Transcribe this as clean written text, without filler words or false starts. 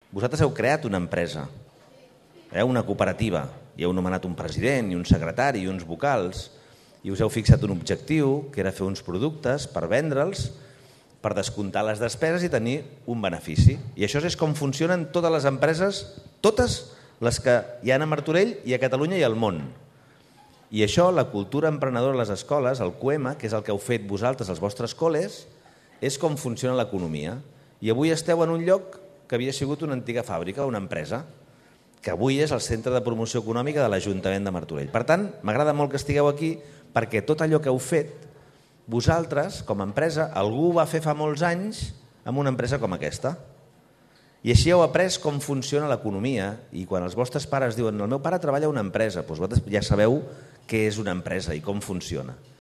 Vosaltres heu creat una empresa, una cooperativa, i heu nomenat un president i un secretari i uns vocals, i us heu fixat un objectiu, que era fer uns productes per vendre'ls, per descomptar les despeses i tenir un benefici. I això és com funcionen totes les empreses, totes les que hi ha a Martorell i a Catalunya i al món. I això, la cultura emprenedora a les escoles, el QEMA, que és el que heu fet vosaltres als vostres col·les, és com funciona l'economia. I avui esteu en un lloc que havia sigut una antiga fàbrica, una empresa, que avui és el centre de promoció econòmica de l'Ajuntament de Martorell. Per tant, m'agrada molt que estigueu aquí perquè tot allò que heu fet, vosaltres, com a empresa, algú ho va fer fa molts anys amb una empresa com aquesta. I així heu après com funciona l'economia i quan els vostres pares diuen el meu pare treballa a una empresa, doncs vosaltres ja sabeu què és una empresa i com funciona.